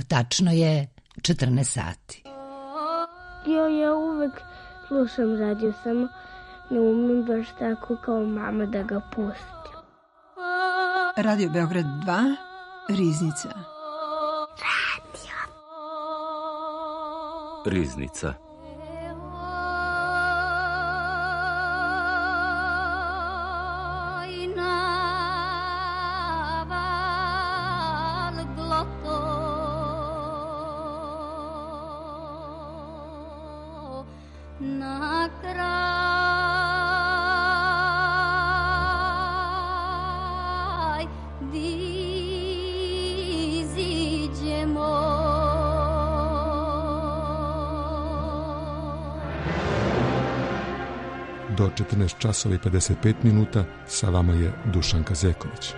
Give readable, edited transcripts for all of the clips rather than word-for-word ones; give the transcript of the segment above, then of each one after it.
Tačno je 14 sati. Ja uvek slušam radio, samo ne umem baš tako kao mama da ga pustim. Radio Beograd 2, Riznica. Riznica. Do 14 časova i 55 minuta sa vama je Dušanka Zeković.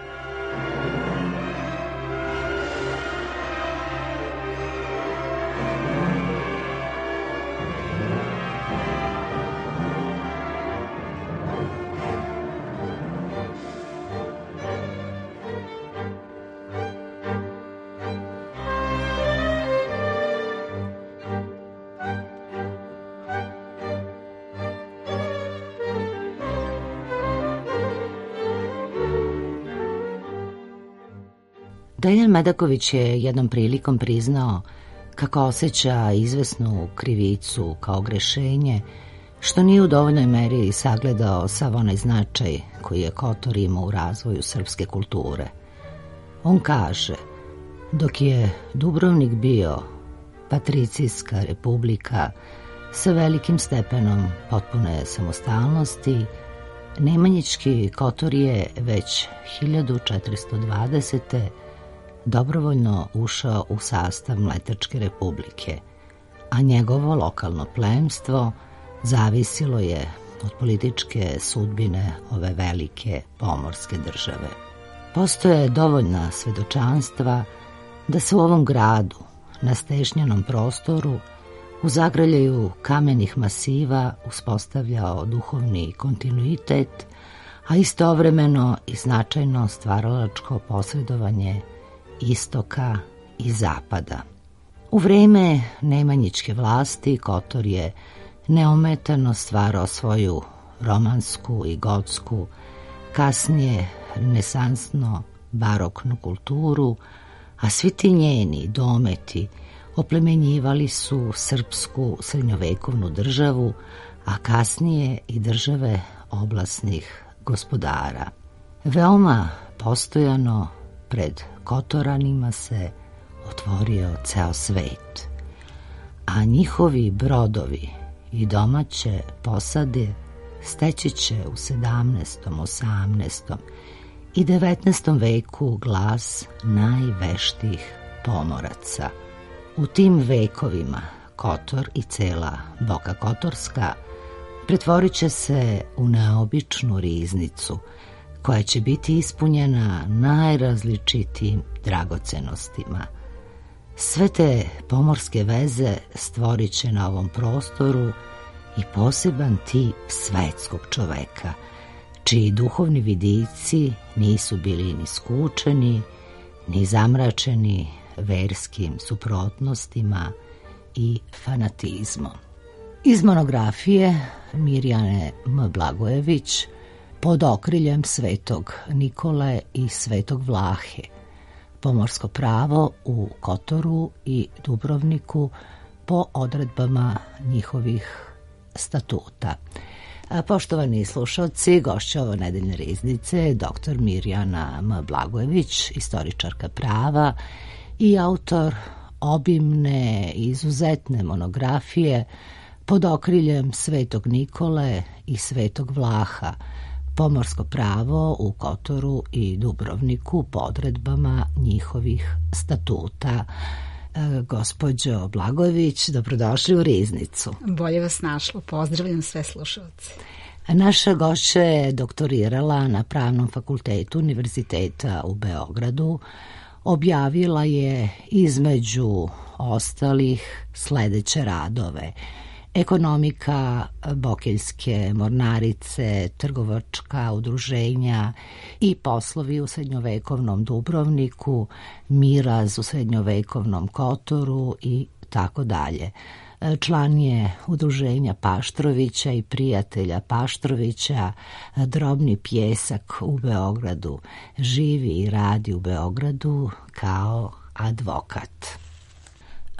Deljan Medaković je jednom prilikom priznao kako osjeća izvesnu krivicu kao grešenje, što nije u dovoljnoj meri sagledao sav onaj značaj koji je Kotor imao u razvoju srpske kulture. On kaže, dok je Dubrovnik bio patricijska republika sa velikim stepenom potpune samostalnosti, Nemanjićki Kotor je već 1420. dobrovoljno ušao u sastav Mletačke republike, a njegovo lokalno plemstvo zavisilo je od političke sudbine ove velike pomorske države. Postoje dovoljna svedočanstva da se u ovom gradu, na stešnjenom prostoru, u zagrljaju kamenih masiva uspostavljao duhovni kontinuitet, a istovremeno i značajno stvaralačko posredovanje istoka i zapada. U vreme Nemanjićke vlasti Kotor je neometano stvarao svoju romansku i gotsku, kasnije renesansno baroknu kulturu, a svi ti njeni dometi oplemenjivali su srpsku srednjovekovnu državu, a kasnije i države oblasnih gospodara. Veoma postojano pred Kotoranima se otvorio ceo svet, a njihovi brodovi i domaće posade steći će u 17., 18. i 19. veku glas najveštijih pomoraca. U tim vekovima Kotor i cela Boka Kotorska pretvorit će se u neobičnu riznicu koja će biti ispunjena najrazličitijim dragocenostima. Sve te pomorske veze stvorit će na ovom prostoru i poseban tip svetskog čoveka, čiji duhovni vidici nisu bili ni skučeni, ni zamračeni verskim suprotnostima i fanatizmom. Iz monografije Mirjane M. Blagojević Pod okriljem Svetog Nikole i Svetog Vlahe, pomorsko pravo u Kotoru i Dubrovniku po odredbama njihovih statuta. Poštovani slušalci, gošća ove nedeljne riznice je dr. Mirjana M. Blagojević, istoričarka prava i autor obimne i izuzetne monografije Pod okriljem Svetog Nikole i Svetog Vlaha, pomorsko pravo u Kotoru i Dubrovniku po odredbama njihovih statuta. Gospođo Blagojević, dobrodošli u Riznicu. Bolje vas našlo, pozdravljam sve slušalce. Naša gošća je doktorirala na Pravnom fakultetu Univerziteta u Beogradu. Objavila je između ostalih sledeće radove: ekonomika Bokeljske mornarice, trgovačka udruženja i poslovi u srednjovekovnom Dubrovniku, miraz u srednjovekovnom Kotoru i tako dalje. Član je udruženja Paštrovića i prijatelja Paštrovića, Drobni pjesak u Beogradu. Živi i radi u Beogradu kao advokat.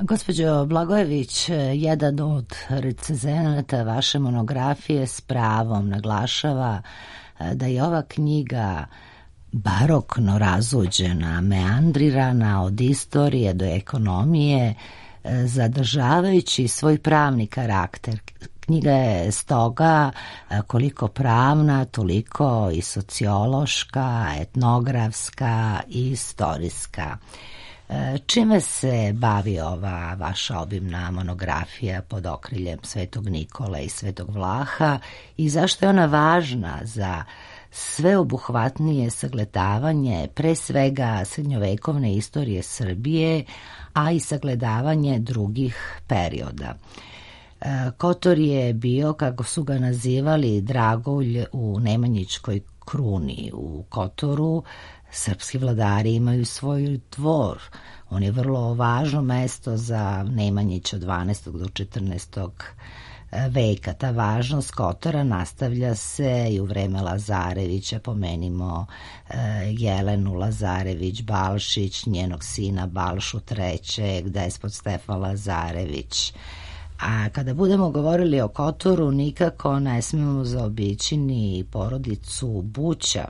Gospođo Blagojević, jedan od recenzenata vaše monografije s pravom naglašava da je ova knjiga barokno razuđena, meandrirana od istorije do ekonomije, zadržavajući svoj pravni karakter. Knjiga je stoga koliko pravna, toliko i sociološka, etnografska i istorijska. Čime se bavi ova vaša obimna monografija pod okriljem Svetog Nikole i Svetog Vlaha i zašto je ona važna za sveobuhvatnije sagledavanje pre svega srednjovekovne istorije Srbije, a i sagledavanje drugih perioda? Kotor je bio, kako su ga nazivali, dragulj u Nemanjićkoj kruni. U Kotoru srpski vladari imaju svoj dvor. On je vrlo važno mesto za Nemanjića od 12. do 14. veka. Ta važnost Kotora nastavlja se i u vreme Lazarevića. Pomenimo Jelenu Lazarević-Balšić, njenog sina Balšu III, despot Stefan Lazarević. A kada budemo govorili o Kotoru, nikako ne smemo zaobići ni porodicu Buća,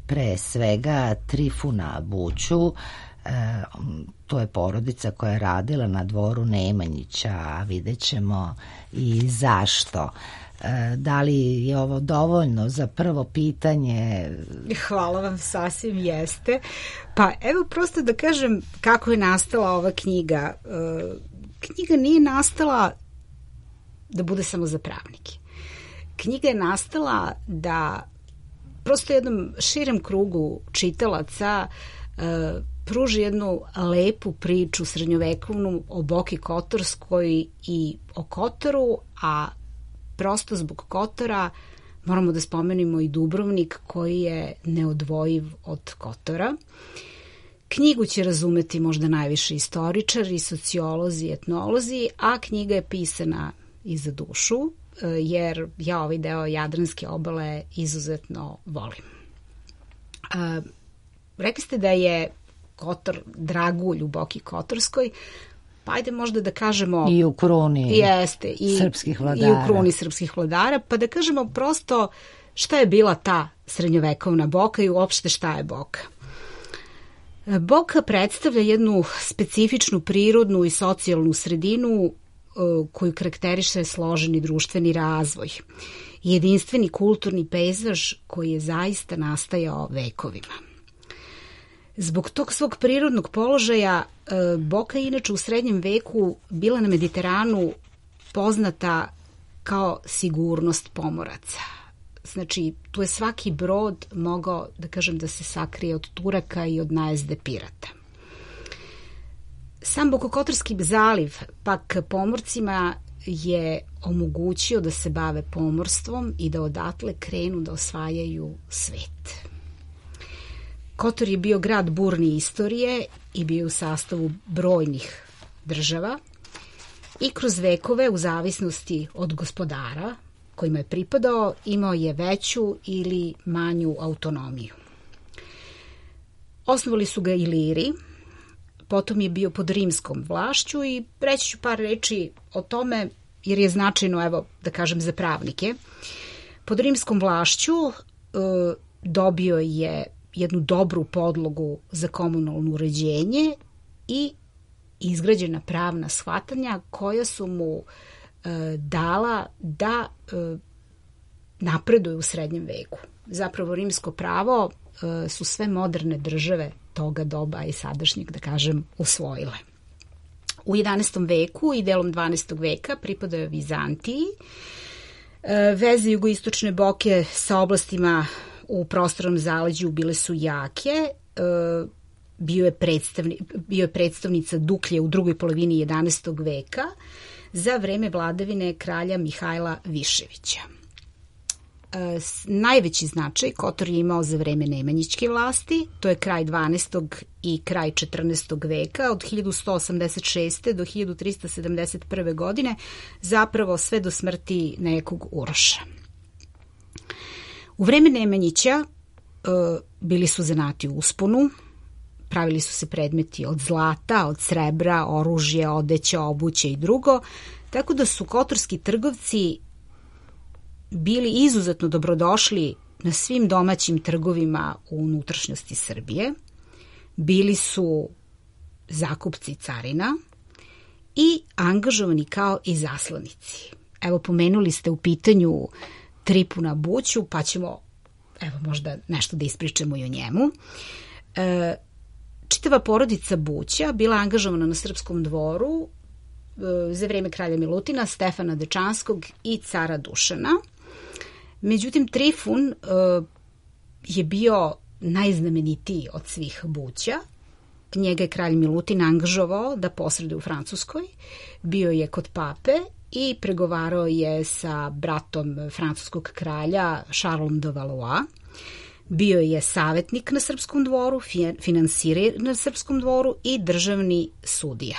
pre svega Trifuna Buću. To je porodica koja je radila na dvoru Nemanjića, a vidjet ćemo i zašto. Da li je ovo dovoljno za prvo pitanje? Hvala vam, sasvim jeste. Pa evo prosto da kažem kako je nastala ova knjiga. Knjiga nije nastala da bude samo za pravnike. Knjiga je nastala da prosto jednom širem krugu čitalaca pruži jednu lepu priču srednjovekovnu o Boki Kotorskoj i o Kotoru, a prosto zbog Kotora moramo da spomenimo i Dubrovnik koji je neodvojiv od Kotora. Knjigu će razumeti možda najviše istoričari, sociolozi, etnolozi, a knjiga je pisana i za dušu, jer ja ovaj deo Jadranske obale izuzetno volim. Rekli ste da je Kotor dragulj u Boki Kotorskoj, pa ajde možda da kažemo... I u kruni jeste, srpskih vladara. I u kruni srpskih vladara, pa da kažemo prosto šta je bila ta srednjovekovna Boka i uopšte šta je Boka. Boka predstavlja jednu specifičnu prirodnu i socijalnu sredinu koju karakteriše složeni društveni razvoj i jedinstveni kulturni pejzaž koji je zaista nastajao vekovima. Zbog tog svog prirodnog položaja Boka je inače u srednjem veku bila na Mediteranu poznata kao sigurnost pomoraca. Znači, tu je svaki brod mogao, da kažem, da se sakrije od Turaka i od najezde pirata. Sam Bokokotorski zaliv pak pomorcima je omogućio da se bave pomorstvom i da odatle krenu da osvajaju svet. Kotor je bio grad burne istorije i bio u sastavu brojnih država i kroz vekove, u zavisnosti od gospodara kojima je pripadao, imao je veću ili manju autonomiju. Osnovali su ga Iliri, potom je bio pod rimskom vlašću i reći ću par reči o tome jer je značajno, evo, da kažem, za pravnike. Pod rimskom vlašću dobio je jednu dobru podlogu za komunalno uređenje i izgrađena pravna shvatanja koja su mu dala da napreduje u srednjem veku. Zapravo rimsko pravo su sve moderne države toga doba i sadašnjeg, da kažem, usvojile. U 11. veku i delom 12. veka pripadao je Vizantiji. Veze jugoistočne Boke sa oblastima u prostornom zaleđu bile su jake. Bio je predstavnica Duklje u drugoj polovini 11. veka. za vreme vladavine kralja Mihajla Viševića. Najveći značaj Kotor je imao za vreme Nemanjićke vlasti, to je kraj 12. i kraj 14. veka, od 1186. do 1371. godine, zapravo sve do smrti nekog Uroša. U vreme Nemanjića bili su zanati u usponu, pravili su se predmeti od zlata, od srebra, oružje, odeća, obuće i drugo, tako da su kotorski trgovci bili izuzetno dobrodošli na svim domaćim trgovima u unutrašnjosti Srbije. Bili su zakupci carina i angažovani kao izaslanici. Evo, pomenuli ste u pitanju Tripuna Buću, pa ćemo možda nešto da ispričamo i o njemu. Čitava porodica Buća bila angažovana na srpskom dvoru za vreme kralja Milutina, Stefana Dečanskog i cara Dušana. Međutim, Trifun je bio najznamenitiji od svih Buća. Njega je kralj Milutin angažovao da posreduje u Francuskoj. Bio je kod pape i pregovarao je sa bratom francuskog kralja Charlesom de Valois. Bio je savetnik na srpskom dvoru, finansir na srpskom dvoru i državni sudija.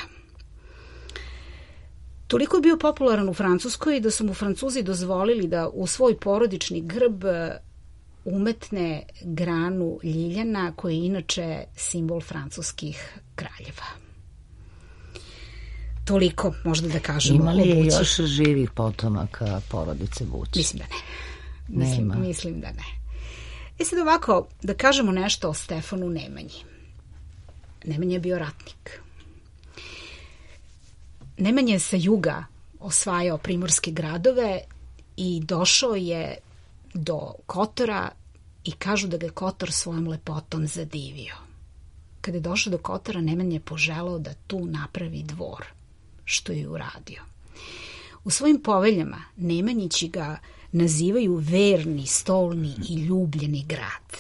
Toliko je bio popularan u Francuskoj da su mu Francuzi dozvolili da u svoj porodični grb umetne granu ljiljana, koji je inače simbol francuskih kraljeva. Toliko možda da kažemo. Ima li je još živih potomaka porodice Buć? Mislim da ne. Mislim da ne. Sad ovako, da kažemo nešto o Stefanu Nemanji. Nemanja je bio ratnik. Nemanja je sa juga osvajao primorske gradove i došao je do Kotora i kažu da ga je Kotor svojom lepotom zadivio. Kada je došao do Kotora, Nemanja je poželao da tu napravi dvor, što je uradio. U svojim poveljama Nemanjići ga nazivaju verni, stolni i ljubljeni grad.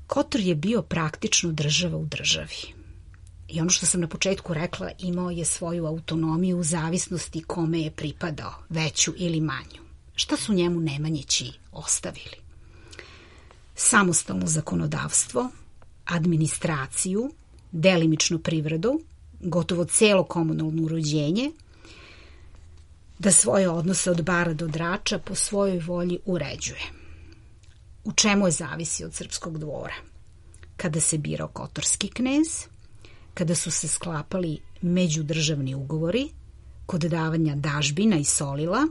Kotor je bio praktično država u državi. I ono što sam na početku rekla, imao je svoju autonomiju u zavisnosti kome je pripadao, veću ili manju. Šta su njemu Nemanjići ostavili? Samostalno zakonodavstvo, administraciju, delimično privredu, gotovo celo komunalno uređenje, da svoje odnose od bara do drača po svojoj volji uređuje. U čemu je zavisi od srpskog dvora? Kada se birao kotorski knez, kada su se sklapali međudržavni ugovori, kod davanja dažbina i solila,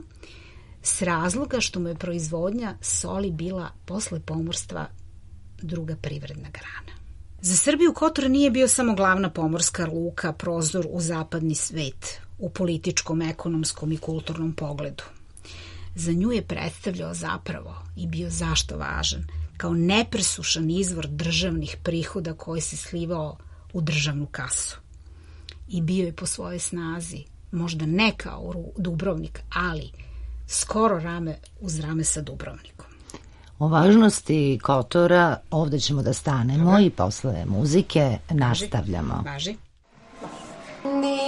s razloga što mu je proizvodnja soli bila posle pomorstva druga privredna grana. Za Srbiju Kotor nije bio samo glavna pomorska luka, prozor u zapadni svet, u političkom, ekonomskom i kulturnom pogledu. Za nju je predstavljao zapravo i bio zašto važan, kao nepresušan izvor državnih prihoda koji se slivao u državnu kasu. I bio je po svojoj snazi, možda ne kao Dubrovnik, ali skoro rame uz rame sa Dubrovnikom. O važnosti Kotora ovde ćemo da stanemo i posle muzike nastavljamo. Važi. Thank you.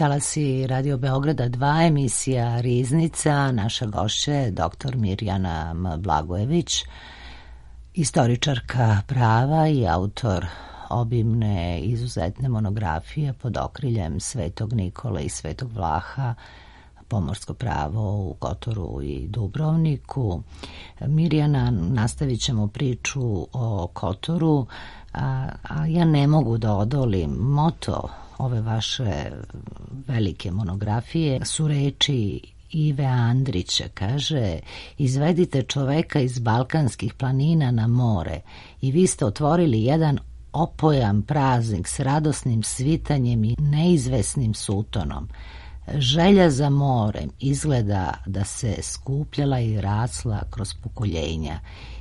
Talasi Radio Beograda 2, emisija Riznica. Naša gošća je dr. Mirjana M. Blagojević, istoričarka prava i autor obimne izuzetne monografije pod okriljem Svetog Nikole i Svetog Vlaha, pomorsko pravo u Kotoru i Dubrovniku. Mirjana, nastavit ćemo priču o Kotoru, a ja ne mogu da odolim. Moto ove vaše velike monografije su reči Ive Andrića. Kaže: izvedite čoveka iz balkanskih planina na more i vi ste otvorili jedan opojan praznik s radosnim svitanjem i neizvesnim sutonom. Želja za morem izgleda da se skupljala i rasla kroz pokoljenja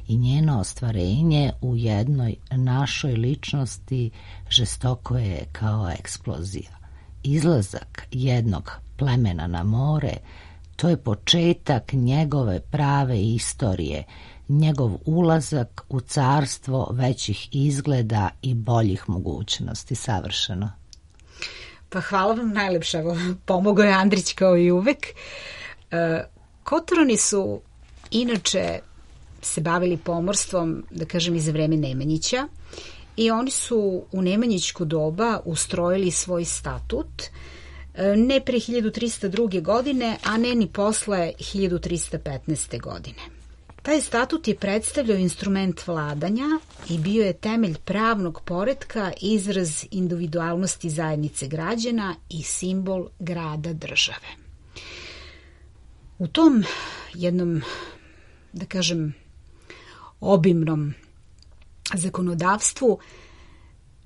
i njeno ostvarenje u jednoj našoj ličnosti žestoko je kao eksplozija. Izlazak jednog plemena na more, to je početak njegove prave istorije, njegov ulazak u carstvo većih izgleda i boljih mogućnosti. Savršeno. Pa hvala vam najlepša, pomogao je Andrić kao i uvek. Kotorani su inače se bavili pomorstvom, da kažem, i za vreme Nemanjića, i oni su u nemanjićko doba ustrojili svoj statut, ne pre 1302. godine, a ne ni posle 1315. godine. Taj statut je predstavljao instrument vladanja i bio je temelj pravnog poretka, izraz individualnosti zajednice građana i simbol grada države. U tom jednom, da kažem, obimnom zakonodavstvu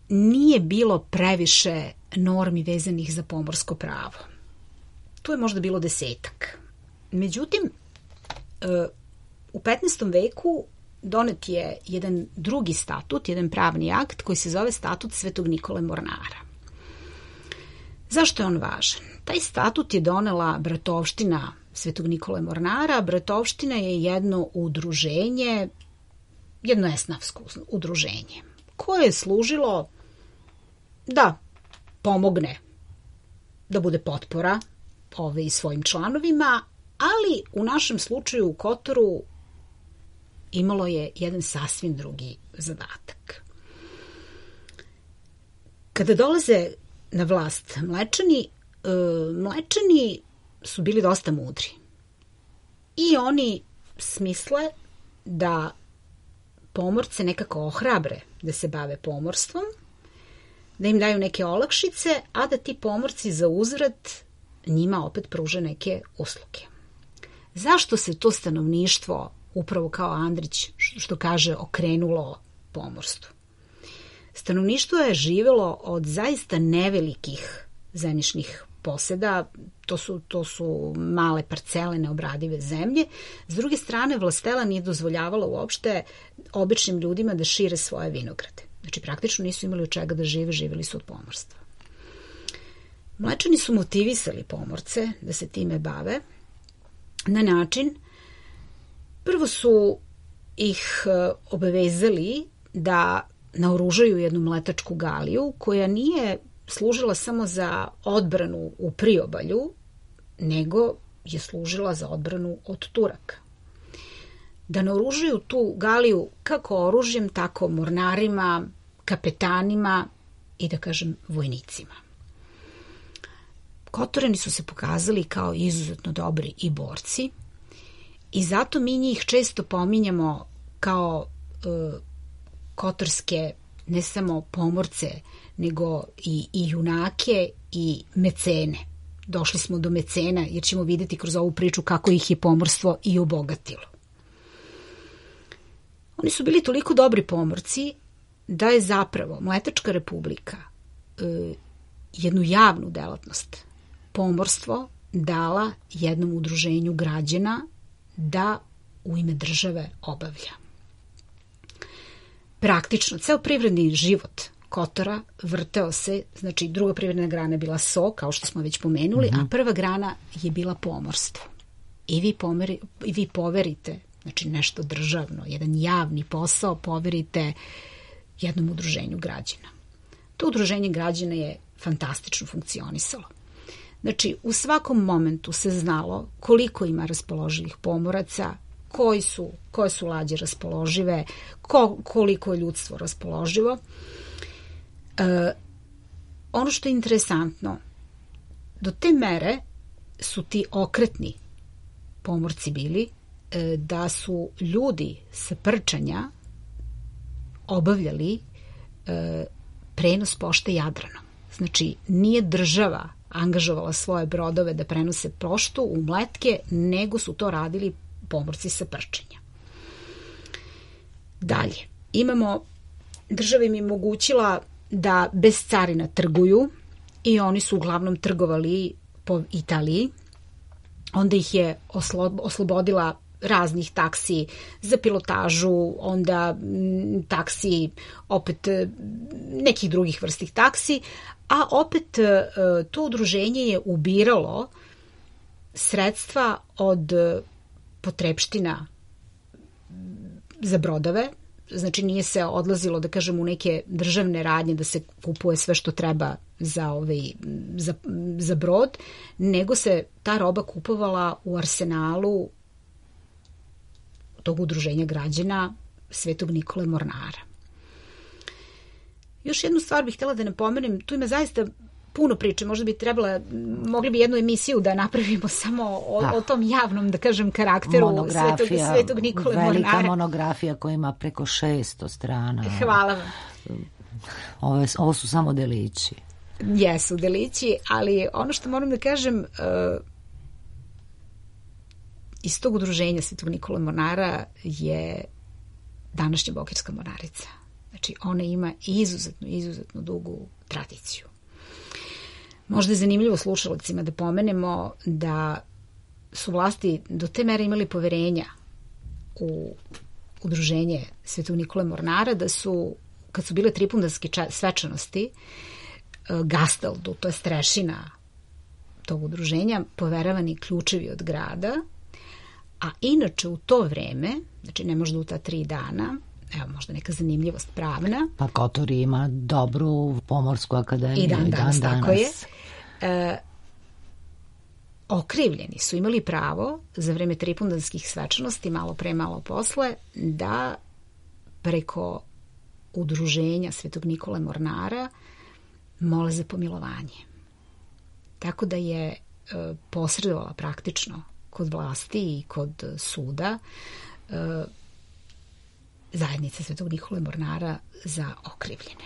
nije bilo previše normi vezanih za pomorsko pravo. Tu je možda bilo 10-ak. Međutim, u 15. veku donet je jedan drugi statut, jedan pravni akt koji se zove Statut Svetog Nikole Mornara. Zašto je on važan? Taj statut je donela bratovština Svetog Nikole Mornara. Bratovština je jedno udruženje, jedno esnafsko udruženje, koje je služilo da pomogne, da bude potpora i svojim članovima, ali u našem slučaju u Kotoru imalo je jedan sasvim drugi zadatak. Kada dolaze na vlast Mlečani su bili dosta mudri i oni smisle da pomorce nekako ohrabre da se bave pomorstvom, da im daju neke olakšice, a da ti pomorci za uzvrat njima opet pruže neke usluge. Zašto se to stanovništvo, upravo kao Andrić što kaže, okrenulo pomorstvu? Stanovništvo je živelo od zaista nevelikih zemljišnih poseda, to su male parcele neobradive zemlje. S druge strane, vlastela nije dozvoljavala uopšte običnim ljudima da šire svoje vinograde. Znači, praktično nisu imali od čega da žive, živjeli su od pomorstva. Mlečani su motivisali pomorce da se time bave na način, prvo su ih obavezali da naoružaju jednu mletačku galiju koja nije služila samo za odbranu u priobalju, nego je služila za odbranu od Turaka. Da naoružaju tu galiju kako oružjem, tako mornarima, kapetanima i, da kažem, vojnicima. Kotorani su se pokazali kao izuzetno dobri i borci i zato mi njih često pominjamo kao kotorske ne samo pomorce, nego i junake i mecene. Došli smo do mecena jer ćemo vidjeti kroz ovu priču kako ih je pomorstvo i obogatilo. Oni su bili toliko dobri pomorci da je zapravo Mletačka republika jednu javnu delatnost, pomorstvo, dala jednom udruženju građana da u ime države obavlja. Praktično, ceo privredni život Kotora vrteo se, znači druga privredna grana je bila so, kao što smo već pomenuli, a prva grana je bila pomorstvo. I vi poverite, znači nešto državno, jedan javni posao poverite jednom udruženju građana. To udruženje građana je fantastično funkcionisalo. Znači, u svakom momentu se znalo koliko ima raspoloživih pomoraca, koje su lađe raspoložive, koliko je ljudstvo raspoloživo. Ono što je interesantno, do te mere su ti okretni pomorci bili da su ljudi sa Prčanja obavljali prenos pošte Jadranom. Znači, nije država angažovala svoje brodove da prenose poštu u Mletke, nego su to radili pomorci sa Prčanja. Dalje, država im je omogućila da bez carina trguju i oni su uglavnom trgovali po Italiji. Onda ih je oslobodila raznih taksi za pilotažu, onda taksi, opet nekih drugih vrstih taksi, a opet to udruženje je ubiralo sredstva od potrepština za brodove. Znači, nije se odlazilo, da kažem, u neke državne radnje da se kupuje sve što treba za brod, nego se ta roba kupovala u arsenalu tog udruženja građana Svetog Nikole Mornara. Još jednu stvar bih htjela da napomenem, tu ima zaista puno priče, možda bi mogli bi jednu emisiju da napravimo samo o tom javnom, da kažem, karakteru Svetog Nikole Mornara. Velika monografija koja ima preko 600 strana. Hvala vam. Ovo su samo delići. Jesu delići, ali ono što moram da kažem, iz tog udruženja Svetog Nikole Mornara je današnja Bokeljska mornarica. Znači, ona ima izuzetno dugu tradiciju. Možda je zanimljivo slušalcima da pomenemo da su vlasti do te mere imali poverenja u udruženje Svetog Nikole Mornara, da su, kad su bile tripundanske svečanosti, Gastaldu, to je strešina tog udruženja, poveravani ključevi od grada, a inače u to vreme, znači ne možda u ta 3 dana, evo možda neka zanimljivost pravna. Pa Kotor ima dobru pomorsku akademiju. I dan danas. Tako je. Okrivljeni su imali pravo za vreme tripundanskih svečanosti, malo pre, malo posle, da preko udruženja Svetog Nikole Mornara mole za pomilovanje. Tako da je posredovala praktično kod vlasti i kod suda zajednica Svetog Nikole Mornara za okrivljene.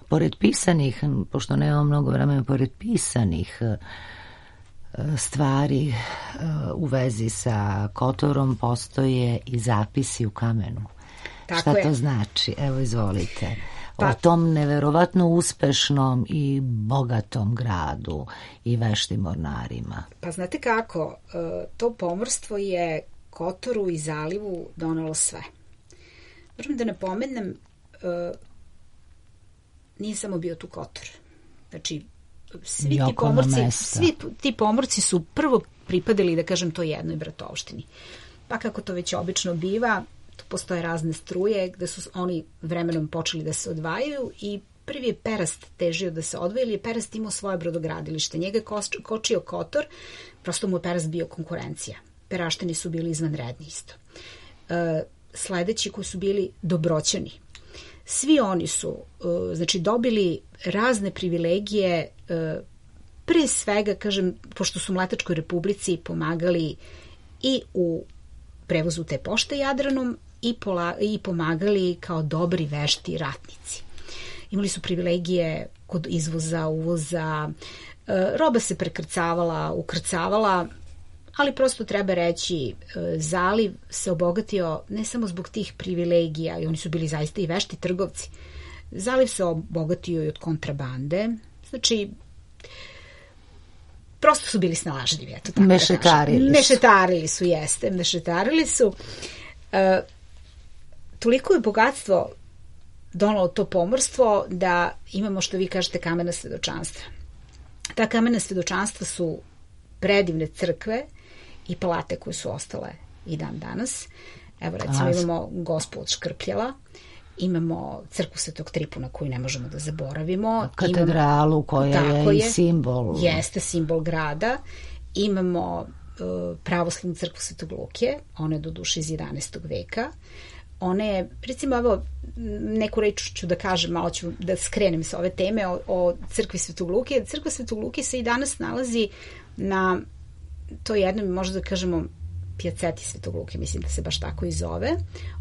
Pored pisanih, pošto nemamo mnogo vremena, pored pisanih stvari u vezi sa Kotorom postoje i zapisi u kamenu. Šta to znači? Evo, izvolite. O tom neverovatno uspešnom i bogatom gradu i veštim mornarima. Pa znate kako, to pomorstvo je Kotoru i zalivu donelo sve. Moram da napomenem, nije samo bio tu Kotor. Znači, svi ti pomorci su prvo pripadali, da kažem, to jednoj bratovštini. Pa kako to već obično biva, tu postoje razne struje gde su oni vremenom počeli da se odvajaju i prvi je Perast težio da se odvoji, ili je Perast imao svoje brodogradilište. Njega je kočio Kotor, prosto mu je Perast bio konkurencija. Peraštini su bili izvanredni isto. Sledeći koji su bili Dobroćani. Svi oni su znači dobili razne privilegije, pre svega, kažem, pošto su Mletačkoj Republici pomagali i u prevozu te pošte Jadranom i pomagali kao dobri vešti ratnici. Imali su privilegije kod izvoza, uvoza, roba se prekrcavala, ukrcavala, ali prosto treba reći, zaliv se obogatio ne samo zbog tih privilegija, i oni su bili zaista i vešti trgovci. Zaliv se obogatio i od kontrabande, znači prosto su bili snalažljivi, eto tako mešetarili su. Toliko je bogatstvo donalo to pomorstvo da imamo, što vi kažete, kamena svedočanstva. Ta kamena svedočanstva su predivne crkve i palate koje su ostale i dan danas. Evo, recimo, imamo Gospu od Škrpljela imamo crkvu Svetog Tripuna koju ne možemo da zaboravimo. Katedralu koja je i simbol. Jeste simbol grada. Imamo pravoslavnu crkvu Svetog Luke, ona je do duše iz 11. veka. Ona je, recimo, evo, neku reč ću da kažem, malo ću da skrenem sa ove teme o crkvi Svetog Luke. Crkva Svetog Luke se i danas nalazi na to jednom, možda da kažemo, pijaceti Svetog Luke, mislim da se baš tako i zove.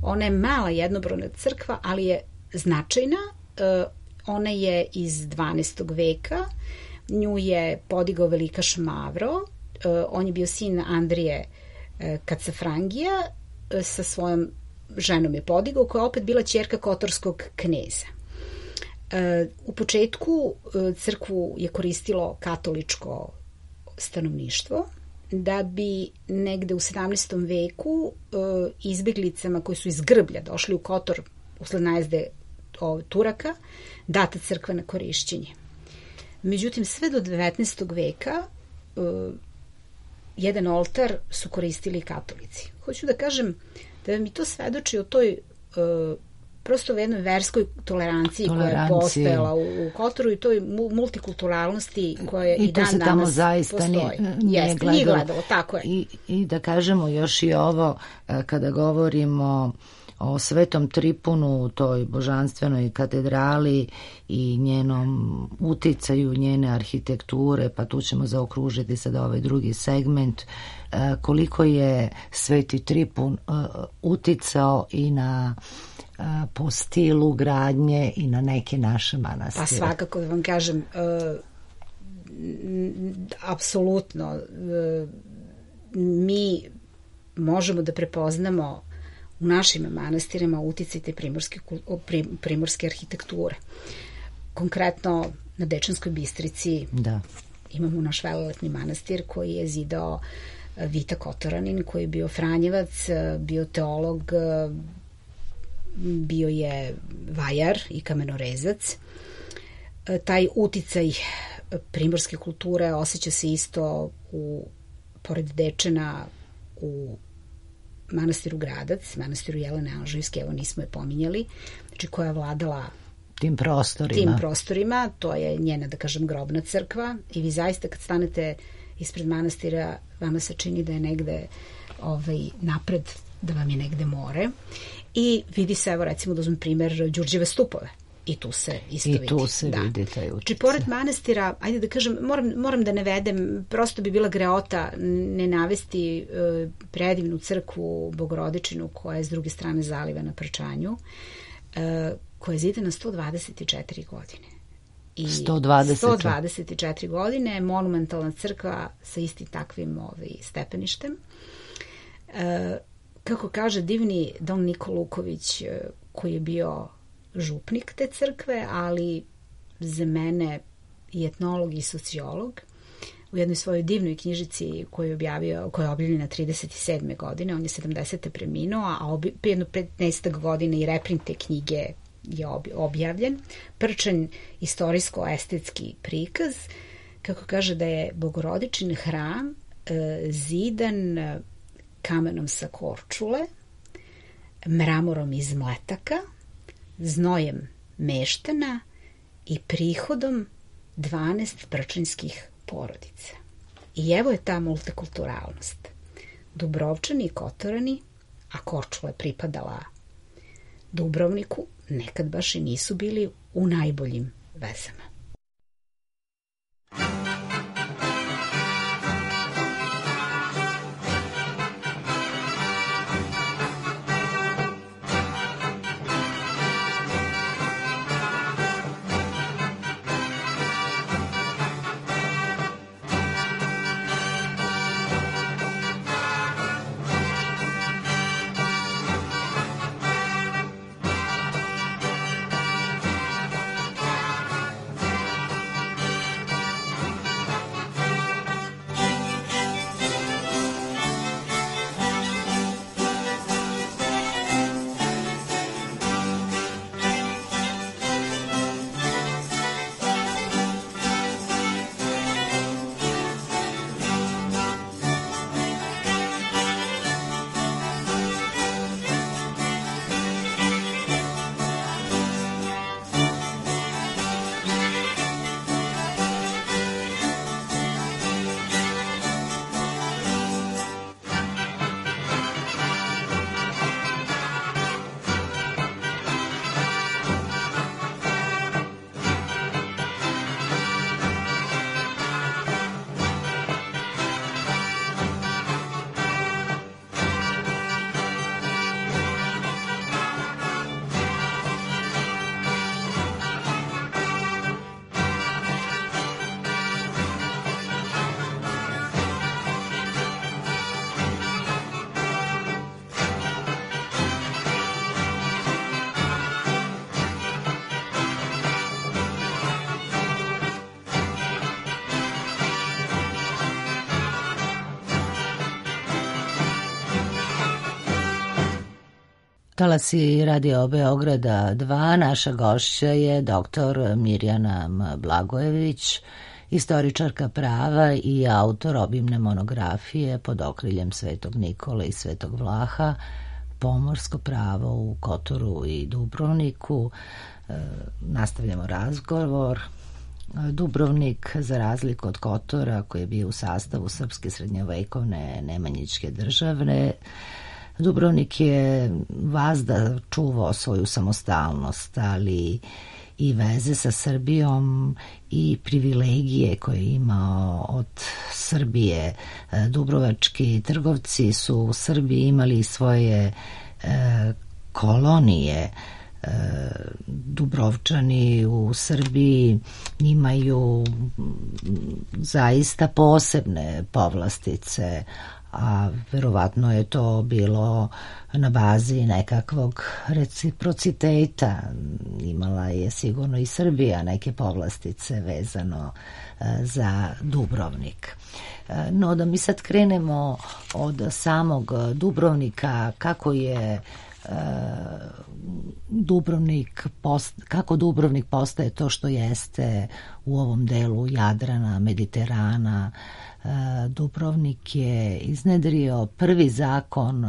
Ona je mala jednobrojna crkva, ali je značajna. Ona je iz 12. veka. Nju je podigao velikaš Mavro. On je bio sin Andrije Kacafrangija, sa svojom ženom je podigao, koja je opet bila ćerka kotorskog kneza. U početku crkvu je koristilo katoličko stanovništvo, da bi negde u 17. veku izbeglicama koji su iz Grblja došli u Kotor usled najezde Turaka data crkva na korišćenje. Međutim, sve do 19. veka jedan oltar su koristili katolici. Hoću da kažem da mi to svedoči o toj prosto u jednoj verskoj toleranciji koja je postojala u Kotoru i toj multikulturalnosti koja i dan danas postoji. Nije gledalo, tako je. I da kažemo još i ovo, kada govorimo o Svetom Tripunu, toj božanstvenoj katedrali i njenom uticaju, njene arhitekture, pa tu ćemo zaokružiti sad ovaj drugi segment, koliko je Sveti Tripun uticao i na po stilu gradnje i na neke naše manastire. Pa svakako da vam kažem, apsolutno, mi možemo da prepoznamo u našim manastirima uticaj te primorske arhitekture. Konkretno na Dečanskoj Bistrici imamo naš velelepni manastir koji je zidao Vita Kotoranin, koji je bio Franjevac, bio teolog, bio je vajar i kamenorezac. Taj uticaj primorske kulture osjeća se isto pored Dečana u manastiru Gradac, manastiru Jelene Anžujske, evo nismo je pominjali, znači koja je vladala tim prostorima, to je njena, da kažem, grobna crkva i vi zaista kad stanete ispred manastira, vama se čini da je negde napred, da vam je negde more i vidi se, evo recimo da uzmem primer Đurđeve stupove. I tu se isto vidi. I tu se vidi taj utjecaj. Znači, pored manastira, ajde da kažem, moram da navedem, prosto bi bila greota ne navesti predivnu crkvu Bogorodičinu koja je s druge strane zaliva na Prčanju, koja je zidana 124 godine. 124 godine, monumentalna crkva sa istim takvim stepeništem. Kako kaže divni Don Niko Luković, koji je bio župnik te crkve, ali za mene i etnolog i sociolog, u jednoj svojoj divnoj knjižici koju je objavljena 37. godine, on je 70. preminuo, a jedno 15 godina i reprint te knjige je objavljen. Prčanj istorijsko-estetski prikaz, kako kaže da je Bogorodičin hram zidan kamenom sa Korčule, mramorom iz Mletaka, znojem meštana i prihodom 12 prčanjskih porodica. I evo je ta multikulturalnost. Dubrovčani i Kotorani, a Korčula je pripadala Dubrovniku, nekad baš i nisu bili u najboljim vezama. Talasi Radio Beograda 2, naša gošća je dr. Mirjana Blagojević, istoričarka prava i autor obimne monografije pod okriljem Svetog Nikole i Svetog Vlaha, pomorsko pravo u Kotoru i Dubrovniku. Nastavljamo razgovor. Dubrovnik, za razliku od Kotora, koji je bio u sastavu srpske srednjovekovne nemanjičke države, Dubrovnik je vazda čuvao svoju samostalnost, ali i veze sa Srbijom i privilegije koje je imao od Srbije. Dubrovački trgovci su u Srbiji imali svoje kolonije. Dubrovčani u Srbiji imaju zaista posebne povlastice, a verovatno je to bilo na bazi nekakvog reciprociteta. Imala je sigurno i Srbija neke povlastice vezano za Dubrovnik. No, da mi sad krenemo od samog Dubrovnika, kako je kako Dubrovnik postaje to što jeste u ovom delu Jadrana, Mediterana. Dubrovnik je iznedrio prvi zakon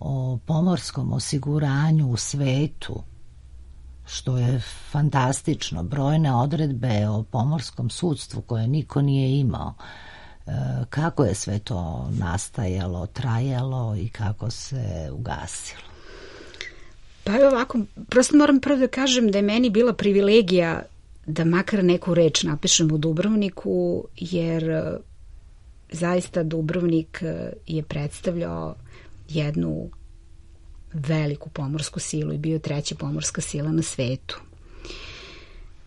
o pomorskom osiguranju u svetu, što je fantastično. Brojne odredbe o pomorskom sudstvu koje niko nije imao. Kako je sve to nastajalo, trajalo i kako se ugasilo? Pa je ovako, prosto moram prvo da kažem da je meni bila privilegija da makar neku reč napišem o Dubrovniku, jer zaista Dubrovnik je predstavljao jednu veliku pomorsku silu i bio treća pomorska sila na svetu.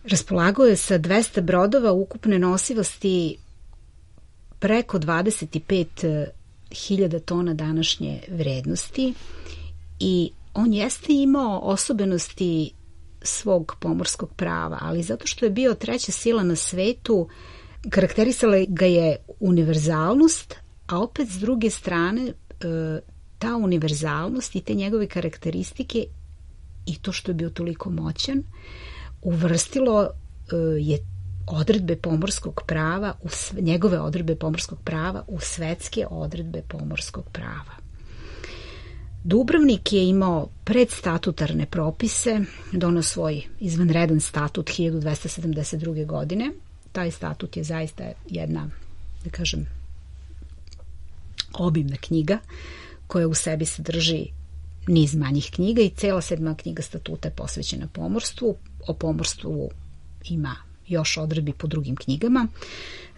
Raspolagao je sa 200 brodova ukupne nosivosti preko 25.000 tona današnje vrednosti i on jeste imao osobenosti svog pomorskog prava, ali zato što je bio treća sila na svetu, karakterisala ga je univerzalnost, a opet s druge strane ta univerzalnost i te njegove karakteristike i to što je bio toliko moćan uvrstilo je odredbe pomorskog prava, njegove odredbe pomorskog prava u svetske odredbe pomorskog prava. Dubrovnik je imao predstatutarne propise, donao svoj izvanredan statut 1272. godine. Taj statut je zaista jedna, da kažem, obimna knjiga koja u sebi sadrži niz manjih knjiga i cela 7. knjiga statuta je posvećena pomorstvu. O pomorstvu ima još odredbi po drugim knjigama.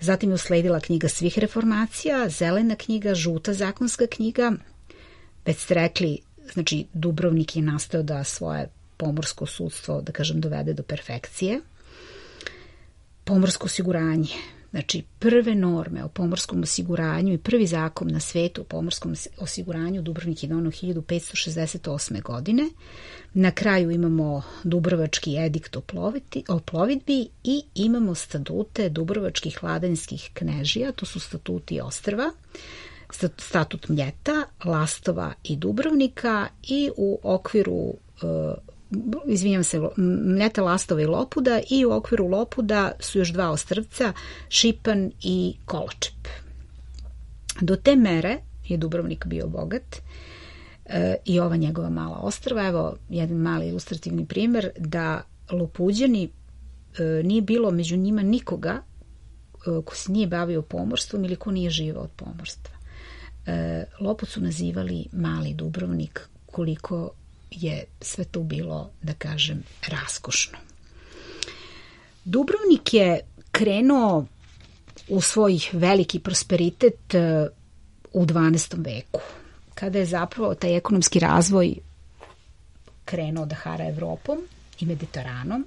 Zatim je usledila knjiga svih reformacija, zelena knjiga, žuta zakonska knjiga. Već ste rekli, znači Dubrovnik je nastao da svoje pomorsko sudstvo, da kažem, dovede do perfekcije. Pomorsko osiguranje, znači prve norme o pomorskom osiguranju i prvi zakon na svetu o pomorskom osiguranju Dubrovnik je donao 1568. godine. Na kraju imamo Dubrovački edikt o plovidbi i imamo statute Dubrovačkih vladanjskih knežija, to su statuti ostrva, statut Mljeta, Lastova i Dubrovnika i u okviru Mljeta, Lastova i Lopuda i u okviru Lopuda su još 2 ostrvca, Šipan i Koločep. Do te mere je Dubrovnik bio bogat i ova njegova mala ostrva. Evo jedan mali ilustrativni primjer da Lopuđani nije bilo među njima nikoga ko se nije bavio pomorstvom ili ko nije živao od pomorstva. Lopud su nazivali mali Dubrovnik, koliko je sve to bilo, da kažem, raskošno. Dubrovnik je krenuo u svoj veliki prosperitet u 12. veku, kada je zapravo taj ekonomski razvoj krenuo da hara Evropom i Mediteranom.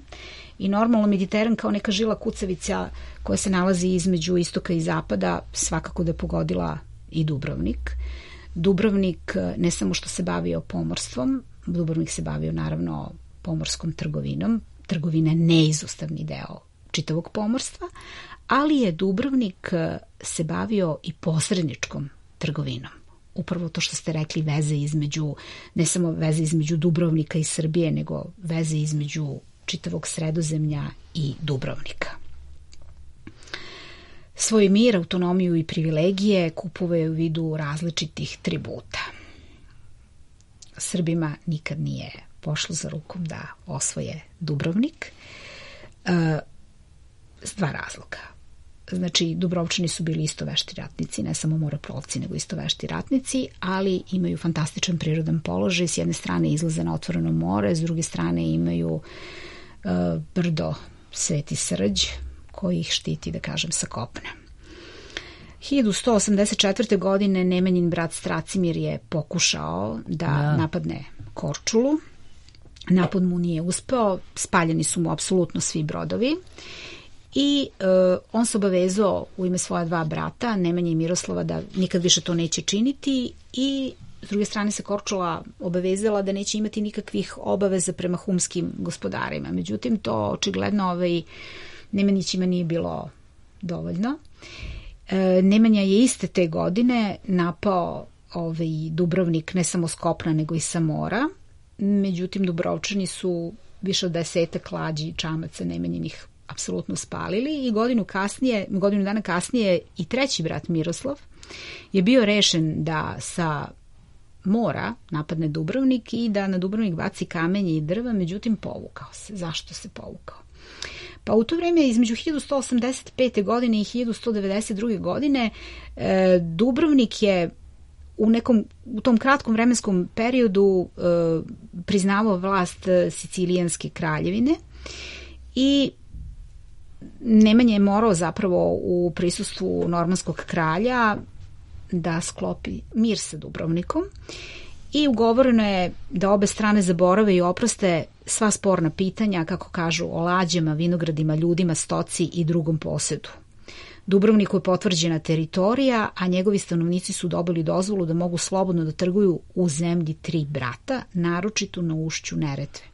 I normalno Mediteran kao neka žila kucavica koja se nalazi između istoka i zapada svakako da je pogodila i Dubrovnik. Dubrovnik ne samo što se bavio pomorstvom, Dubrovnik se bavio naravno pomorskom trgovinom. Trgovina je neizostavni deo čitavog pomorstva, ali je Dubrovnik se bavio i posredničkom trgovinom. upravo to što ste rekli, veze između, ne samo veze između Dubrovnika i Srbije, nego veze između čitavog Sredozemlja i Dubrovnika. Svoj mir, autonomiju i privilegije kupovao u vidu različitih tributa. Srbima nikad nije pošlo za rukom da osvoje Dubrovnik. S dva razloga. Znači, Dubrovčani su bili isto vešti ratnici, ne samo moreplovci, nego isto vešti ratnici, ali imaju fantastičan prirodan položaj. S jedne strane izlaze na otvoreno more, s druge strane imaju brdo Sveti Srđ, koji ih štiti, da kažem, sa kopna. 1184. godine Nemanjin brat Stracimir je pokušao da napadne Korčulu. Napad mu nije uspeo, spaljeni su mu apsolutno svi brodovi i on se obavezao u ime svoja dva brata, Nemanje i Miroslava, da nikad više to neće činiti, i s druge strane se Korčula obavezala da neće imati nikakvih obaveza prema humskim gospodarima. Međutim, to očigledno Nemanjićima nije bilo dovoljno. Nemanja je iste te godine napao Dubrovnik ne samo s kopna nego i sa mora. Međutim, Dubrovčani su više od 10 klađi i čamaca Nemanjinih apsolutno spalili i godinu dana kasnije i treći brat Miroslav je bio rešen da sa mora napadne Dubrovnik i da na Dubrovnik baci kamenje i drva, međutim povukao se. Zašto se povukao? Pa u to vreme između 1185. godine i 1192. godine Dubrovnik je u tom kratkom vremenskom periodu priznavao vlast Sicilijanske kraljevine i Nemanja je morao zapravo u prisustvu normanskog kralja da sklopi mir sa Dubrovnikom i ugovoreno je da obe strane zaborave i oproste sva sporna pitanja, kako kažu, o lađama, vinogradima, ljudima, stoci i drugom posedu. Dubrovniku je potvrđena teritorija, a njegovi stanovnici su dobili dozvolu da mogu slobodno da trguju u zemlji tri brata, naročito na ušću Neretve.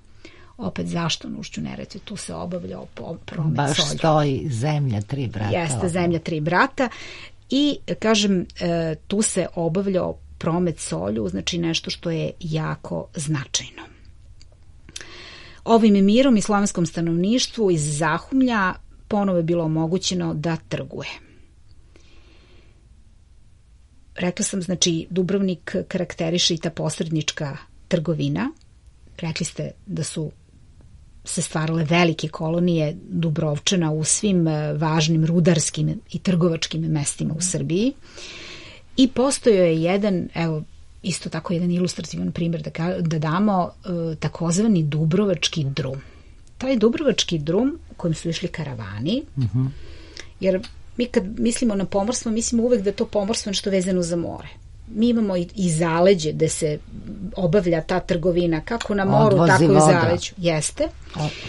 Opet, zašto na ušću Neretve? Tu se obavljao promet baš solju. Baš stoji zemlja tri brata. Jeste, zemlja tri brata. I, kažem, tu se obavljao promet solju, znači nešto što je jako značajno. Ovim mirom i slavenskom stanovništvu iz Zahumlja ponovo je bilo omogućeno da trguje. Rekla sam, znači, Dubrovnik karakteriše i ta posrednička trgovina. Rekli ste da su se stvarale velike kolonije Dubrovčana u svim važnim rudarskim i trgovačkim mestima u Srbiji. I postojao je jedan, evo, isto tako jedan ilustrativan primjer da damo, takozvani Dubrovački drum. Taj Dubrovački drum u kojem su išli karavani, jer mi kad mislimo na pomorstvo, mislimo uvek da je to pomorstvo nešto vezano za more. Mi imamo i zaleđe gde se obavlja ta trgovina, kako na moru, tako i u zaleđu. Jeste.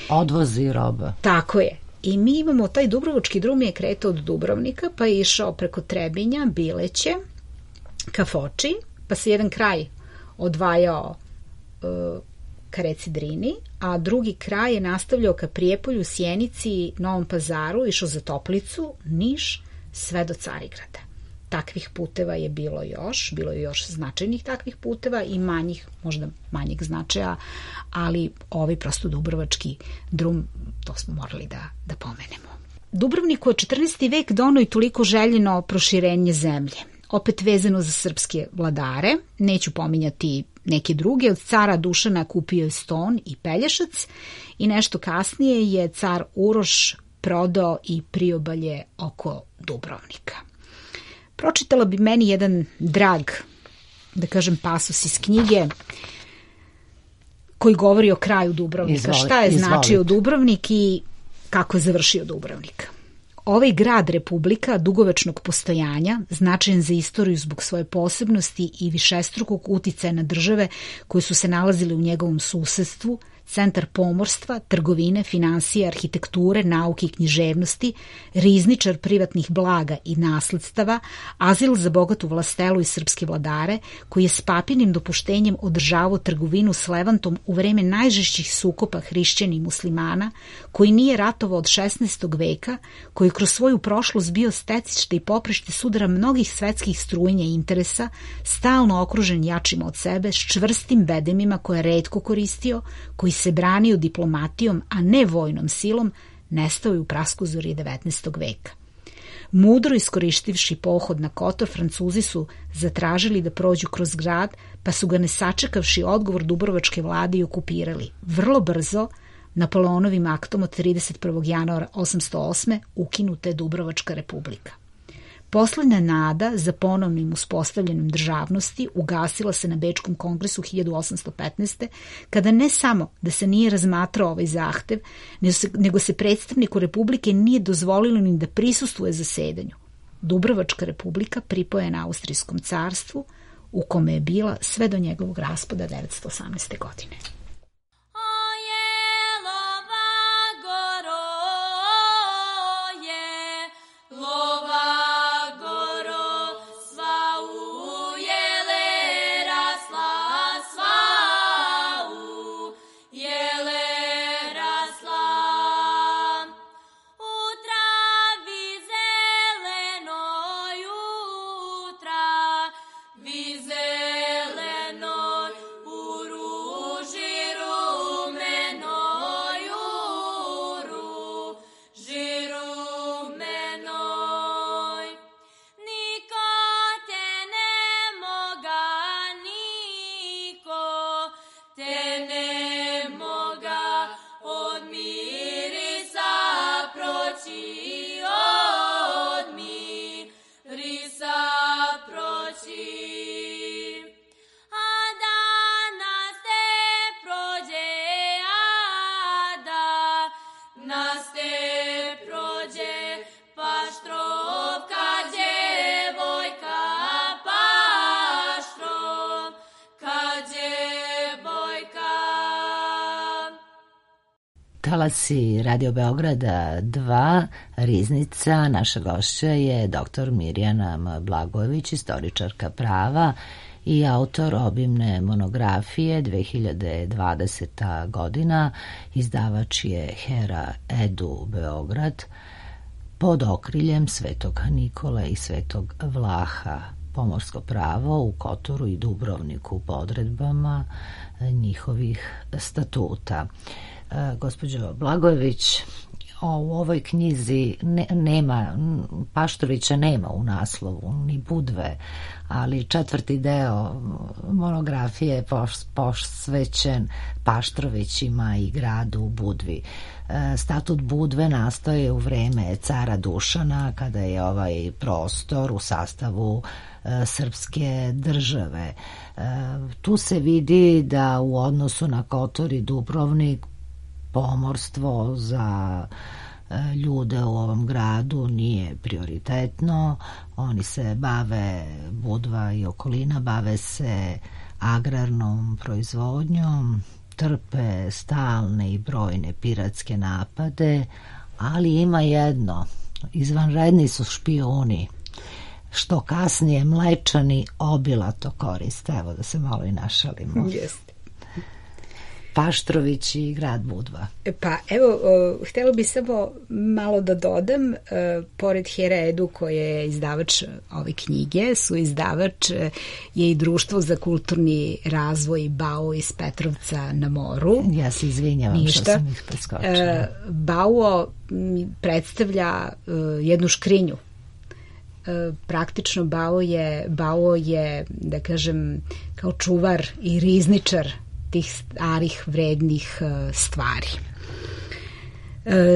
Odvozi roba. Tako je. I mi imamo, taj Dubrovački drum je kretao od Dubrovnika, pa je išao preko Trebinja, Bileće, ka Foči, pa se jedan kraj odvajao ka reci Drini, a drugi kraj je nastavljao ka Prijepolju, Sjenici, Novom Pazaru, išao za Toplicu, Niš, sve do Carigrada. Takvih puteva je bilo je još značajnih takvih puteva i manjih, možda manjeg značaja, ali ovaj prosto Dubrovački drum, to smo morali da pomenemo. Dubrovniku je 14. vek donao i toliko željeno proširenje zemlje. Opet vezano za srpske vladare, neću pominjati neke druge, od cara Dušana kupio je Ston i Pelješac i nešto kasnije je car Uroš prodao i priobalje oko Dubrovnika. Pročitala bi meni jedan drag, da kažem, pasus iz knjige koji govori o kraju Dubrovnika. Šta je značio Dubrovnik i kako je završio Dubrovnik. Ovaj grad republika dugovečnog postojanja, značajan za istoriju zbog svoje posebnosti i višestrukog uticaja na države koje su se nalazile u njegovom susedstvu, centar pomorstva, trgovine, finansije, arhitekture, nauke i književnosti, rizničar privatnih blaga i nasledstava, azil za bogatu vlastelu i srpske vladare, koji je s papinim dopuštenjem održavao trgovinu s Levantom u vreme najžešćih sukoba hrišćana i muslimana, koji nije ratovao od 16. veka, koji kroz svoju prošlost bio stecište i poprište sudara mnogih svetskih strujenja i interesa, stalno okružen jačima od sebe, s čvrstim bedemima koje je retko koristio, koji se branio diplomatijom, a ne vojnom silom, nestao je u praskuzori 19. veka. Mudro iskoristivši pohod na Kotor, Francuzi su zatražili da prođu kroz grad, pa su ga ne sačekavši odgovor dubrovačke vlade i okupirali. Vrlo brzo, Napoleonovim aktom od 31. januara 808. ukinuta je Dubrovačka republika. Poslednja nada za ponovnim uspostavljanjem državnosti ugasila se na Bečkom kongresu 1815. kada ne samo da se nije razmatrao ovaj zahtev, nego se predstavniku Republike nije dozvolilo ni da prisustvuje zasedanju. Dubrovačka republika pripojena Austrijskom carstvu, u kome je bila sve do njegovog raspada 918. godine. Talasi Radio Beograda 2, Riznica. Naša gošća je dr. Mirjana Blagojević, istoričarka prava i autor obimne monografije 2020. godina. Izdavač je Hera Edu Beograd pod okriljem Svetog Nikole i Svetog Vlaha. Pomorsko pravo u Kotoru i Dubrovniku po odredbama njihovih statuta. Gospođo Blagojević, u ovoj knjizi nema, Paštrovića nema u naslovu, ni Budve, ali četvrti deo monografije je posvećen Paštrovićima i gradu Budvi. Statut Budve nastaje u vreme cara Dušana, kada je ovaj prostor u sastavu srpske države. Tu se vidi da u odnosu na Kotor i Dubrovnik pomorstvo za ljude u ovom gradu nije prioritetno. Oni se bave, Budva i okolina, bave se agrarnom proizvodnjom, trpe stalne i brojne piratske napade, ali ima jedno, izvanredni su špijuni, što kasnije Mlečani obilato koriste. Evo da se malo i našalimo. Jeste. Paštrović i grad Budva. Pa evo, htjela bih samo malo da dodam, pored Here Edu koje je izdavač ove knjige, su izdavač je i Društvo za kulturni razvoj BAO iz Petrovca na moru. Ja se izvinjavam što sam ih preskočila. BAO predstavlja jednu škrinju. Praktično BAO je, da kažem, kao čuvar i rizničar tih starih vrednih stvari.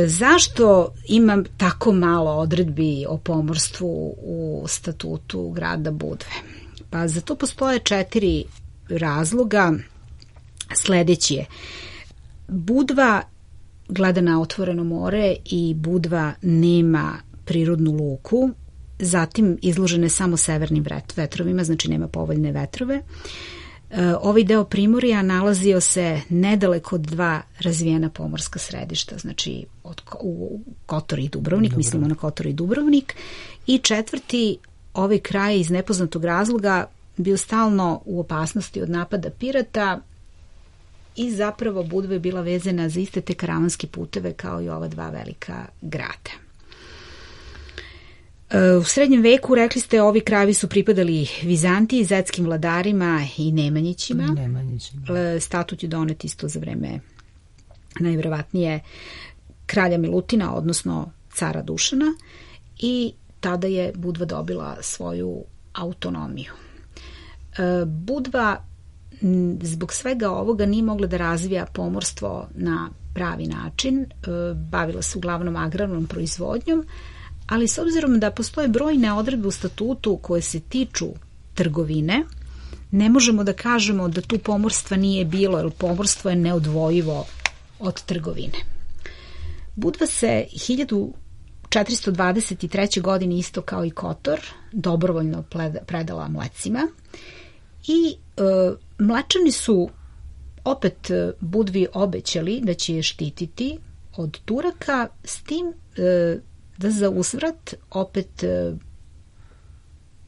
Zašto imam tako malo odredbi o pomorstvu u statutu grada Budve? Pa za to postoje 4 razloga. Sledeći je, Budva gleda na otvoreno more i Budva nema prirodnu luku, zatim izložene samo severnim vetrovima, znači nema povoljne vetrove. Ovaj deo Primorja nalazio se nedaleko od dva razvijena pomorska središta, znači u Kotor i Dubrovnik, mislimo na Kotor i Dubrovnik, i četvrti, ovaj kraj iz nepoznatog razloga bio stalno u opasnosti od napada pirata i zapravo Budva je bila vezana za iste te karavanske puteve kao i ova dva velika grada. U srednjem veku, rekli ste, ovi krajevi su pripadali Vizantiji, zetskim vladarima i Nemanjićima. Statut je donet isto za vreme najverovatnije kralja Milutina, odnosno cara Dušana, i tada je Budva dobila svoju autonomiju. Budva zbog svega ovoga nije mogla da razvija pomorstvo na pravi način, bavila se uglavnom agrarnom proizvodnjom, ali s obzirom da postoje brojne odredbe u statutu koje se tiču trgovine, ne možemo da kažemo da tu pomorstva nije bilo, jer pomorstvo je neodvojivo od trgovine. Budva se 1423. godine, isto kao i Kotor, dobrovoljno predala Mlecima i Mlečani su opet Budvi obećali da će je štititi od Turaka, s tim da za uzvrat opet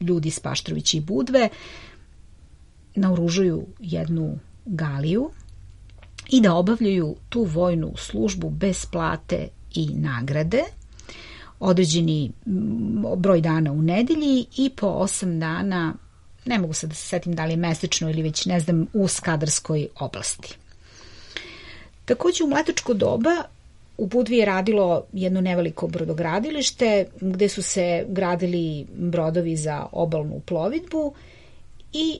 ljudi iz Paštrovića i Budve naoružuju jednu galiju i da obavljaju tu vojnu službu bez plate i nagrade, određeni broj dana u nedelji i po 8 dana, ne mogu sad da se setim da li je mesečno ili već ne znam, u Skadarskoj oblasti. Takođe u mletačko doba u Budvi je radilo jedno neveliko brodogradilište gde su se gradili brodovi za obalnu plovidbu i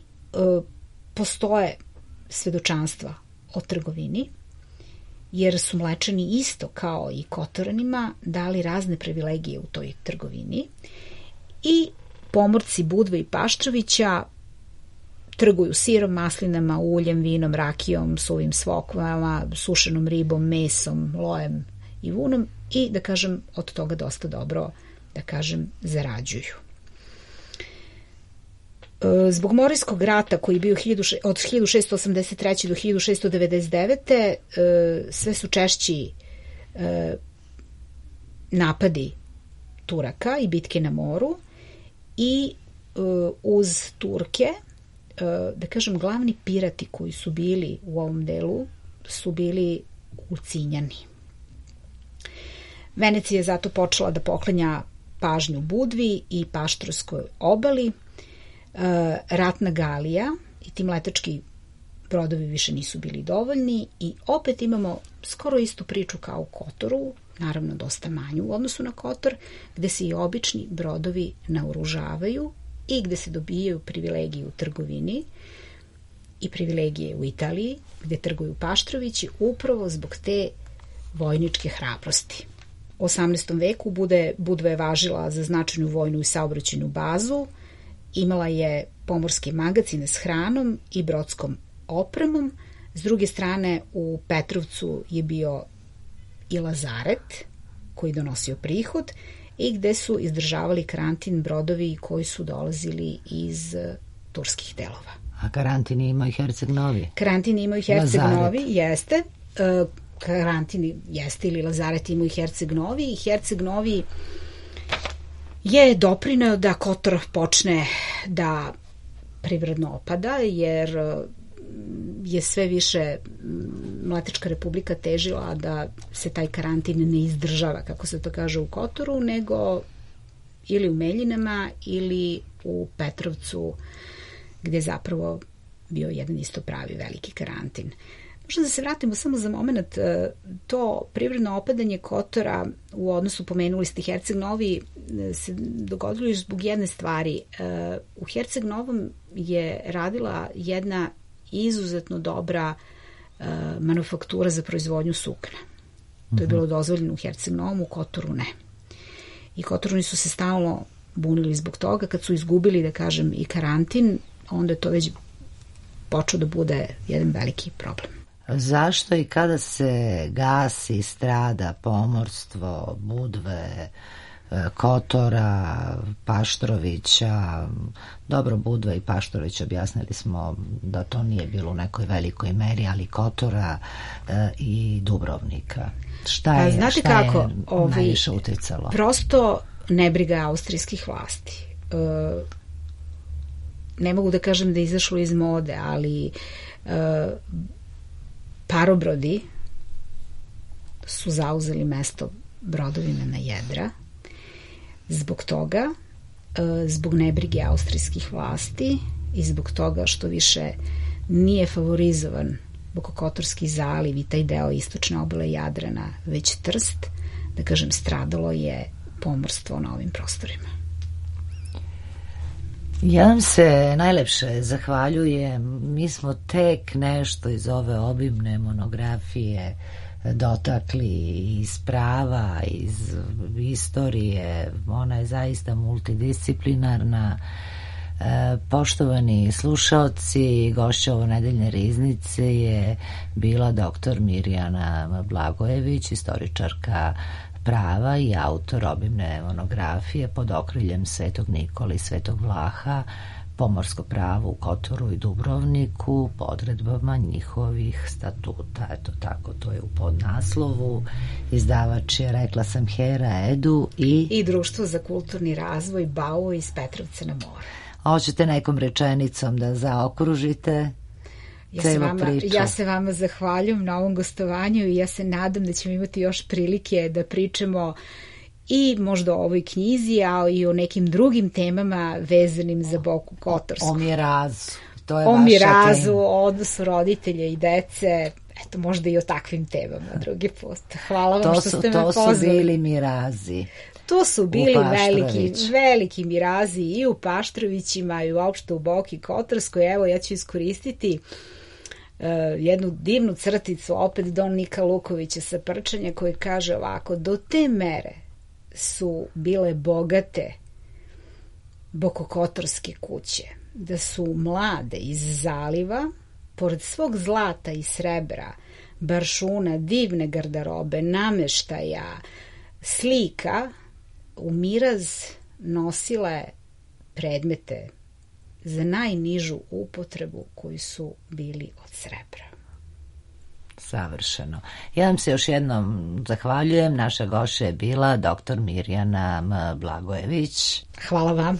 postoje svedočanstva o trgovini, jer su Mlečani isto kao i Kotoranima dali razne privilegije u toj trgovini i pomorci Budve i Paštrovića trguju sirom, maslinama, uljem, vinom, rakijom, suvim svokvama, sušenom ribom, mesom, lojem i vunom i, da kažem, od toga dosta dobro, da kažem, zarađuju. Zbog Morijskog rata koji je bio od 1683. do 1699. Sve su češći napadi Turaka i bitke na moru i uz Turke, da kažem, glavni pirati koji su bili u ovom delu su bili Ulcinjani. Venecija je zato počela da poklanja pažnju Budvi i Paštrskoj obali. Ratna galija i ti mletački brodovi više nisu bili dovoljni i opet imamo skoro istu priču kao u Kotoru, naravno dosta manju u odnosu na Kotor, gde se i obični brodovi naoružavaju i gde se dobijaju privilegije u trgovini i privilegije u Italiji, gde trguju Paštrovići, upravo zbog te vojničke hrabrosti. U 18. veku Budva je važila za značajnu vojnu i saobraćajnu bazu, imala je pomorske magacine s hranom i brodskom opremom. S druge strane, u Petrovcu je bio i lazaret koji donosio prihod i gde su izdržavali karantin brodovi koji su dolazili iz turskih delova. A karantin ima i Herceg Novi? Karantin ima i Herceg Novi, jeste. Karantin jeste ili lazaret ima i Herceg Novi i Herceg Novi je doprineo da Kotor počne da privredno opada, jer je sve više Mletačka republika težila da se taj karantin ne izdržava, kako se to kaže, u Kotoru, nego ili u Meljinama ili u Petrovcu, gde je zapravo bio jedan isto pravi veliki karantin. Možda da se vratimo samo za moment, to privredno opadanje Kotora u odnosu, pomenuli ste Herceg Novi, se dogodilo još zbog jedne stvari. U Herceg Novom je radila jedna izuzetno dobra manufaktura za proizvodnju sukna. To je bilo dozvoljeno u Herceg Novom, u Kotoru ne. I Kotoruni su se stalno bunili zbog toga. Kad su izgubili, da kažem, i karantin, onda je to već počeo da bude jedan veliki problem. Zašto i kada se gasi, strada pomorstvo Budve, Kotora, Paštrovića. Dobro, Budva i Paštrović objasnili smo da to nije bilo u nekoj velikoj meri, ali Kotora i Dubrovnika. Šta je najviše uticalo? Prosto nebriga austrijskih vlasti. Ne mogu da kažem da je izašlo iz mode, ali parobrodi su zauzeli mesto brodovima na jedra. Zbog toga, zbog nebrige austrijskih vlasti i zbog toga što više nije favorizovan Bokokotorski zaliv i taj deo istočne obale Jadrana, već Trst, da kažem, stradalo je pomorstvo na ovim prostorima. Ja vam se najlepše zahvaljujem. Mi smo tek nešto iz ove obimne monografije dotakli, iz prava, iz istorije. Ona je zaista multidisciplinarna. Poštovani slušaoci, gošća ovonedeljne riznice je bila dr. Mirjana Blagojević, istoričarka prava i autor obimne monografije pod okriljem Svetog Nikole i Svetog Vlaha, pomorsko pravo u Kotoru i Dubrovniku po odredbama njihovih statuta. Eto tako, to je u podnaslovu. Izdavač je, rekla sam, Hera Edu i Društvo za kulturni razvoj BAO iz Petrovca na moru. Hoćete nekom rečenicom da zaokružite celu priču? Ja se vama zahvaljujem na ovom gostovanju i ja se nadam da ćemo imati još prilike da pričamo i možda o ovoj knjizi, a i o nekim drugim temama vezanim za Boku Kotorsku. O mirazu. To je o vaša mirazu, tema. O odnosu roditelja i dece. Eto, možda i o takvim temama drugi put. Hvala vam što ste me pozvali. To su bili mirazi. To su bili veliki mirazi i u Paštrovićima i uopšte u Boki Kotorskoj. Evo, ja ću iskoristiti jednu divnu crticu opet Don Nika Lukovića sa Prčanja koji kaže ovako: do te mere su bile bogate bokokotorske kuće da su mlade iz zaliva pored svog zlata i srebra, baršuna, divne garderobe, nameštaja, slika u miraz nosile predmete za najnižu upotrebu koji su bili od srebra. Savršeno. Ja vam se još jednom zahvaljujem. Naša gošća je bila dr. Mirjana Blagojević. Hvala vam.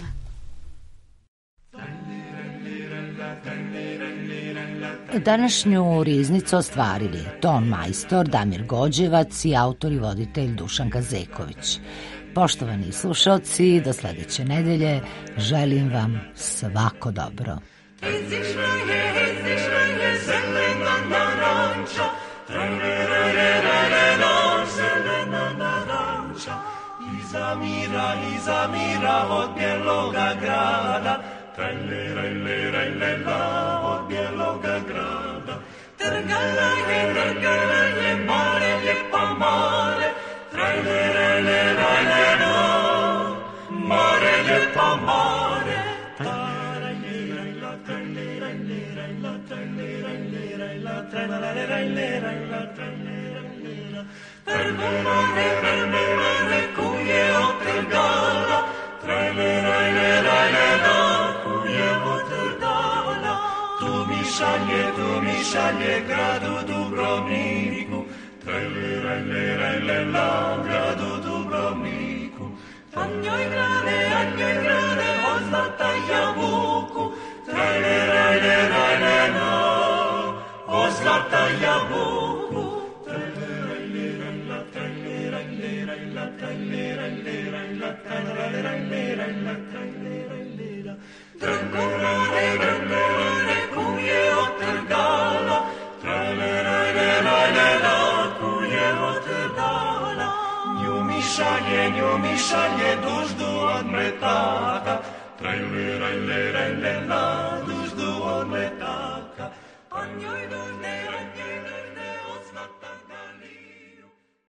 Današnju riznicu ostvarili ton majstor Damir Gođevac i autor i voditelj Dušan Kazeković. Poštovani slušalci, do sledeće nedelje želim vam svako dobro. Iza mira od bijeloga grada, trajlerajlerajlela od bijeloga grada. Trgala je more, lijepa more, trajlerajlerajlela, more, lijepa more. Trajlerajlerajla, trajlerajlerajla, trajlerajlerajla, trajlerajlerajla, trajlerajlerajla. Trajlerajlerajla, kuje otrgala, trajlerajlerajla, kuje otrgala. Tu mi šalje gradu Dubrovniku, trajlerajlerajla, gradu Dubrovniku. A njoj grade, od zlata jabuku, trajlerajlerajla, od zlata jabuku. Trajlerajlerajla, kuje otrgala, trajlerajlerajla, kuje otrgala. Nju mi šalje duždu od mretaka, trajlerajlerajla,